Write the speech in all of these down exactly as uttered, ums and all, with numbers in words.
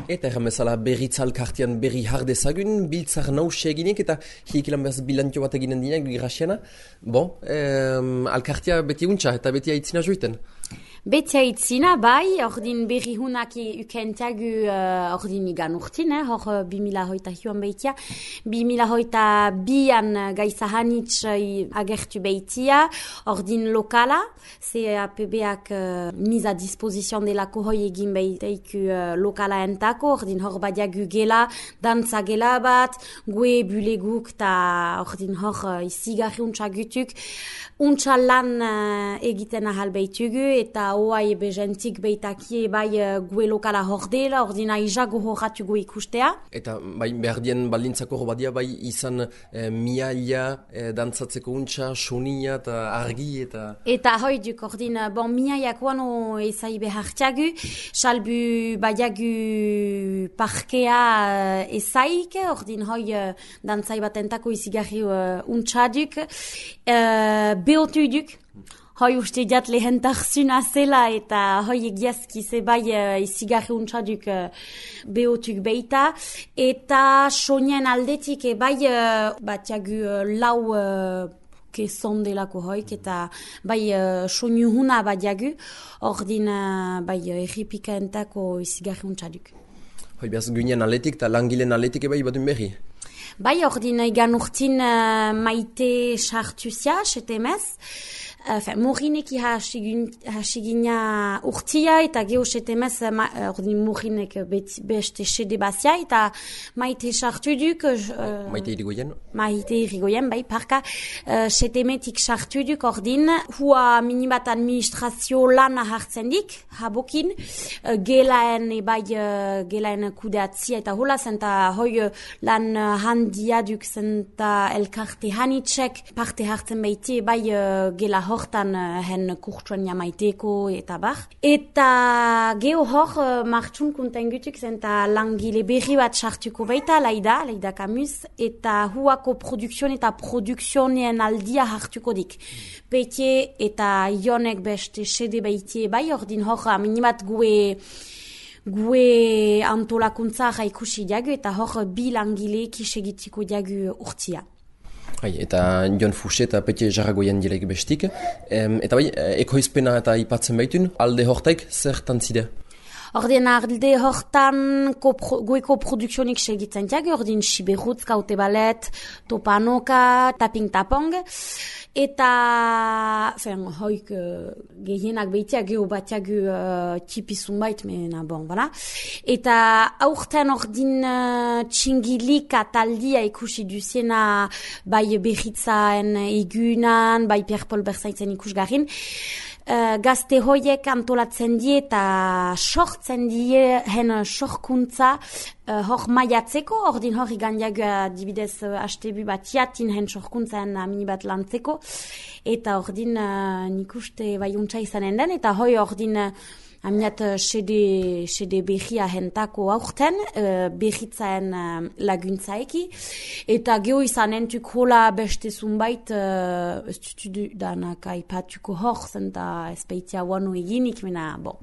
Eta erran bezala berritza alkartian berri jardezagun, biltzar nausia eginek eta hiekilan behaz bilantio bat eginen dinak grasiana. Bon, eh, alkartia beti untxa eta beti aitzina joiten. Beti aitzina, bai, ordin berri hunak ukentiagu uh, ordin igan urtin, eh, hor uh, bimila hoita hiuan behitia. Bimila hoita bian uh, gaiza hanitz uh, agertu behitia, ordin lokala, C A P B-ak uh, mis a disposition delako hoi egin behiteiku uh, lokala entako, ordin hor badiagu gela, dantza gela bat, gue buleguk ta ordin hor uh, izigarri untsa gutuk, untsa lan uh, egiten ahal behitugu, eta oai bezentik beitaki bai uh, gue lokala hordela, ordina izago horratu gue ikustea. Eta bai, behar dien balintzako badia bai izan eh, miaia, eh, dantzatzeko untsa, sonia eta argi eta... Eta hoi duk, ordin, bon, miaiak wano ezai behartiagu, salbu baiagu parkea uh, ezaik, ordin hoi uh, dantzai batentako izigarri uh, untsa duk, uh, beotu duk, hoi uste diat lehentarzuna zela eta hoi egiazki zebai uh, izigarri untsaduk uh, behotuk beita. Eta sonien aldetik ebai uh, batiagu uh, lau uh, kezon delako hoik eta bai uh, soinu huna badiagu, ordin uh, bai uh, erripika entako izigarri untsaduk. Hoi behaz guinen aletik eta langilen aletik ebai badun berri? Bai, ordin egan urtin uh, maite sartuzia, setemez. Enfin, morineki hasigina urtia eta geho setemez ordin morinek beste sede bazia eta maite sartu duk... Uh, maite irigoyen? Maite irigoyen, bai, parka. Uh, setemetik sartu duk ordin, hua minibat administrazio lana hartzen dik, habokin, uh, gelaen ebai uh, gelaen kudeatzia eta hola zenta hoi uh, lan uh, handia duk zenta elkarte hanitzek parte hartzen behiti ebai uh, gela hortan uh, hen kurtsuan jamaiteko eta bar. Eta geho hor uh, martxun kunten gutuk zenta langile berri bat sartuko baita, laida, laida kamuz, eta huako produksion eta produksionien aldia hartuko dik. Peitie eta ionek beste sede baitie bai, ordin hor minimat gue gue antolakuntza ikusi diagu eta hor bi langile kisegitiko diagu urtia. Hai, eta Jon Fuxe eta Petie Jarragoien direk bestik. Em, eta bai, ekoizpena eta ipatzen baitun, alde hortaik zertan zide? Ordin alde hortan goeko produksionik segitzen diagu, ordin Siberutz, Kaute Balet, Topanoka, Taping Tapong, eta fen, hoik uh, gehienak behitia geho batiagu uh, tipizun bait, mena bon, bala. Eta aurten ordin uh, txingilik ataldia ikusi duziena bai berritzaen egunan, bai Pierre-Paul Berzaitzen ikusgarrin. Uh, gazte hoiek antolatzen die eta sortzen die hen sorkuntza uh, hor maiatzeko, ordin hor igandiagu adibidez uh, astebu bat jatin hen sorkuntzaan mini bat lantzeko, eta ordin uh, nik uste bai untsa izanen den, eta hoi ordin uh, aminat sede, sede berria hentako aurten, uh, berritzaen uh, laguntzaeki, eta geho izan entuk hola beste zunbait, uh, ez dutu danak aipatuko hor, zenta espeitia wano eginik, mena, bon,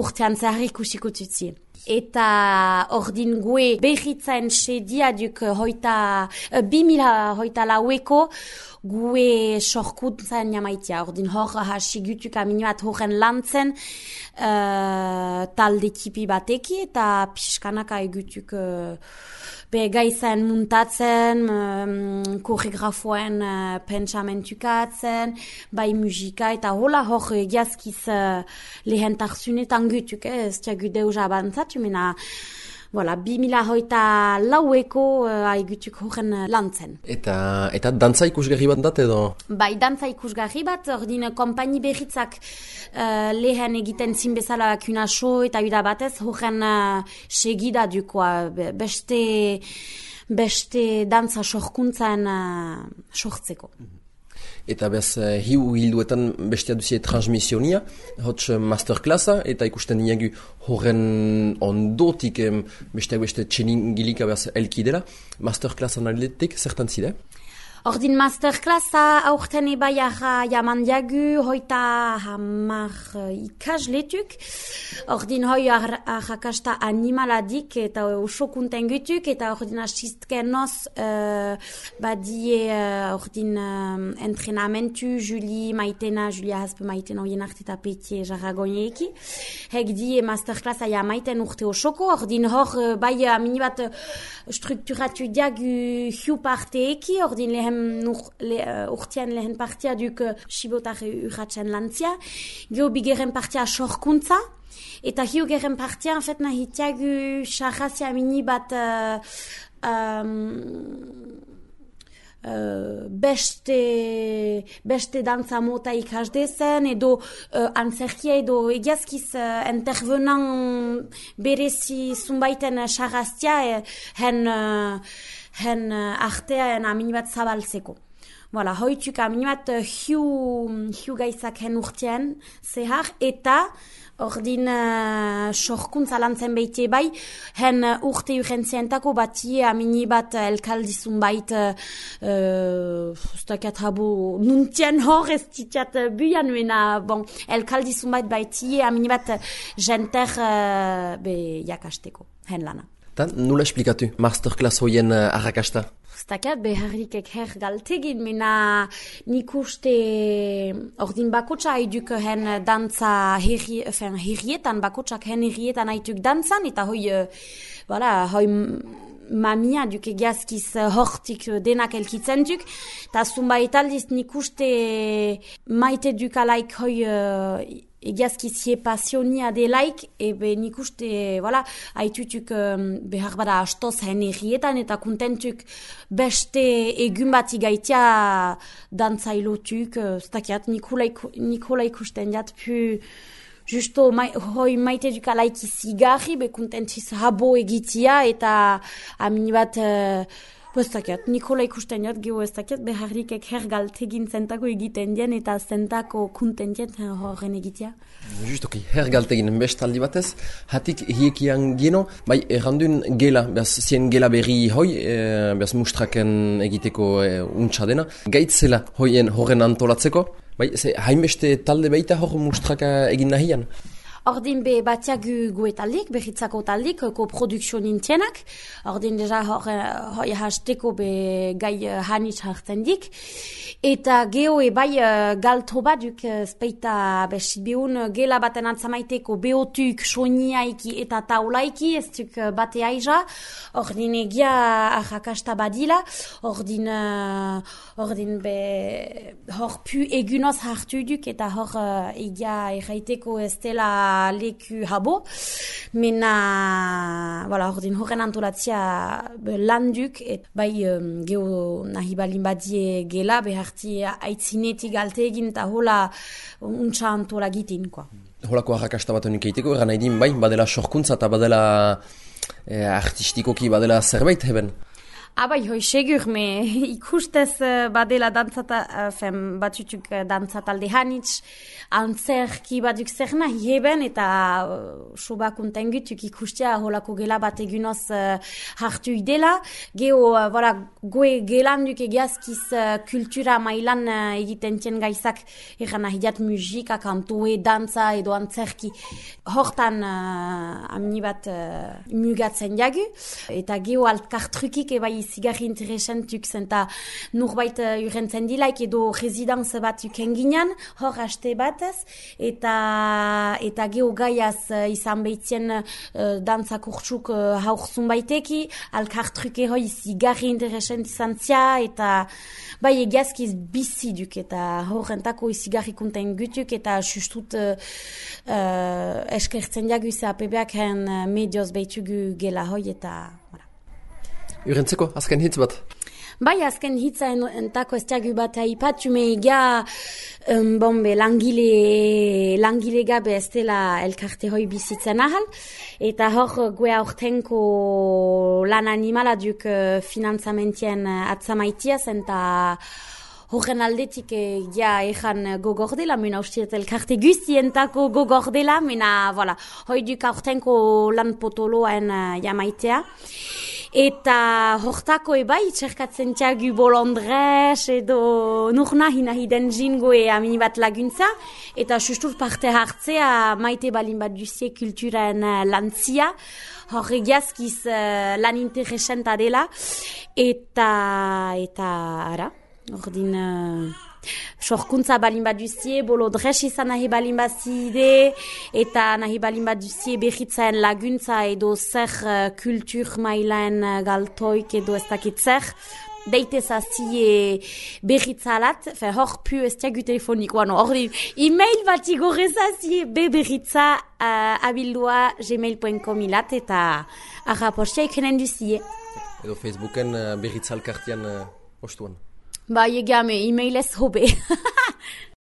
urtean zerri kusiko tutzi. Eta ordin gue berritzaen sedia duk hoita, uh, bimila hoita laueko, gue sorkuntzan jamaitia. Ordin hor hasigutuk aminuat horren lantzen, Uh, talde tipi bateki eta pixkanaka egutuk uh, be gaizen muntatzen, um, koreografoen uh, pentsamentukatzen, bai musika eta hola hor egiazkiz uh, lehentarzunetan gutuk, eh, ez tiagu deus abantzatu, mena voilà, bimila hoita laueko uh, aigutuk horren uh, lantzen. Eta, eta dantza ikusgarri bat dat edo? Bai, dantza ikusgarri bat, ordin kompaini berritzak uh, lehen egiten zinbezala kunaso eta bida batez, horren uh, segida dukoa, beste, beste dantza sorkuntzan uh, sortzeko. Mm-hmm. Eta bez, hiu hilduetan bestea duzie transmisionia, hotz masterklassa, eta ikusten diagu horren ondotik besteak beste txeningilika bez elki dela. Masterklassan aldetik, zertan zide? Ordin masterclassa aurten ebaiara jaman diagu, hoita hamar uh, ikasletuk. Ordin hoi arrakasta animaladik eta oso kuntengutuk, eta ordin asistken noz uh, badie uh, ordin uh, entrenamentu Juli maitena, Julia haspe maitena hoien arteta petie jarragoineeki. Hek die masterclassa ja maiten urte osoko, ordin hor uh, bai amini bat uh, strukturatu diagu hiu parteeki, ordin lehen Nur, le, uh, urtean lehen partia duk uh, Sibotare urratzen lantzia. Gio bigeren partia sorkuntza. Eta hiugeren partia, en fait, nahitiagu charrazia mini bat uh, um, uh, beste, beste dantza mota ikasdezen, edo uh, antzerkia edo egiazkiz uh, intervenan berezi zunbaiten charrazia uh, hen... Uh, hen uh, artea en amini bat zabaltzeko. Voilà, hoituk amini bat uh, hiu, hiu gaizak hen urtean zehar, eta ordin uh, sorkuntza lantzen behite bai, hen uh, urte urentzientako batie amini bat uh, elkaldizun bait uh, ustakat habo nuntien hor ez titiat uh, buian mena, bon, elkaldizun bait baitie amini bat uh, jenter uh, be jakasteko, hen lana. Ta, nula esplikatu, masterclass hoien uh, arrakasta? Ztakat, beharrikek her galtegin, mena nik uste ordin bakotsa haiduk hen dantza herri, enfin, herrietan, bakotsak hen herrietan haiduk dantzan, eta hoi, uh, voilà, hoi mamia duk egiazkiz uh, hortik uh, denak elkitzen duk, eta zunbait aldiz nik uste maite duk alaik hoi uh, egiazkiz hie pasionia delaik, ebe nik uste, voilà, haitutuk um, behar bada astoz hen errietan, eta kontentuk beste egun bat igaitia dantzailotuk, uh, ztakiat, Nikola ikusten jat, pu justo mai, hoi maite duk alaik izigarri, be kontentiz habo egitia, eta amini bat... Uh, Bestakiat, Nikola ikusten jat, geho estakiat, beharrikek her galtegin zentako egiten dien eta zentako kuntentien horren egitea. Justoki, her galtegin bestaldi batez, hatik hiekian geno, bai errandun gela, behaz zien gela berri hoi, e, behaz mustraken egiteko e, untsa dena, gaitzela hoien horren antolatzeko, bai, ze hainbeste talde baita hor mustraka egin nahian? Ordin be batiagu gue taldik, behitzako taldik, koprodukzio nintienak. Ordin deja hoi hasteko be gai hanitz hartzen dik. Eta geho e bai galto baduk speita besibihun gela baten atzamaiteko behotuk, soiniaiki eta taulaiki, ez duk bate aiza. Ordin egia arrakasta badila. Ordin, uh, ordin be hor pu egunoz hartu duk eta hor uh, egia erraiteko ez dela leku habo, mena, voilà, ordin horren antolatzia landuk, et bai um, geho nahi balin badie gela, beharti aitzinetik alte egin eta hola untsa antola gitin, quoi. Holako arrakasta bat honik egiteko, eran nahi din, bai, badela sorkuntza eta badela eh, artistikoki badela zerbait heben? Abai, hoi segur, me ikustez uh, badela dantzata, uh, fem, batutuk uh, dantzatalde hanitz, antzerki baduk zer nahi heben, eta uh, soba kontengutuk ikustea holako gela bat egunoz uh, hartu idela. Geho, uh, voilà, goe gelanduk egiazkiz uh, kultura mailan uh, egiten tien gaizak eran nahi diat musika, kantoe, dantza edo antzerki. Hortan uh, amni bat uh, mugatzen jagu, eta geho altkartrukik ebai zigarri interesantuk zenta nurbait uh, urentzen dilaik edo rezidanz bat ukenginan, hor haste batez, eta eta geho gaiaz uh, izan behitzien uh, dantza kurtsuk uh, haurzun baiteki, alkartruke hoi zigarri interesant izan zia, eta bai egiazkiz biziduk, eta horrentako zigarri konten gutuk, eta sustut uh, uh, eskertzen jagu ze A P B-ak hen uh, medioz behitugu gela hoi, eta voilà. Urentzeko, azken hitz bat? Bai, azken hitza entako ez diagu bat haipatu, me ega um, bombe, langile, langile gabe ez dela elkarte hoi bizitzen ahal, eta hor gue aurtenko lan animala duk uh, finanzamentien uh, atzamaitiaz, eta horren aldetik ja ejan gogordela, mena ustiet elkarte guztientako gogordela, mena, voilà, hoi duk aurtenko lan potoloen uh, jamaitea. Eta hortako ebai, txerkatzen txagu bolondrez edo nur nahi nahi den jingoe amini bat laguntza, eta sustur parte hartzea maite balin bat duzie kulturen uh, lantzia, hor egiazkiz uh, lan interesenta dela, eta, eta, ara, ordin... Uh, sorkuntza balin bat duzie, bolodrez izan nahi balin bat zide, eta nahi balin bat duzie behitzaen laguntza edo zer uh, kultur mailaen uh, galtoik edo ez dakit zer, deitez hazi behitzalat, fe hor pu ez tiagu telefonikoa, no, hor e-mail bat igorrez hazi be behitza uh, abildua gmail punto com ilat, eta arrapostia ikenen duzie. Edo Facebooken uh, behitzalkartian uh, ostuan. Ba, egame, e-mailez hobe.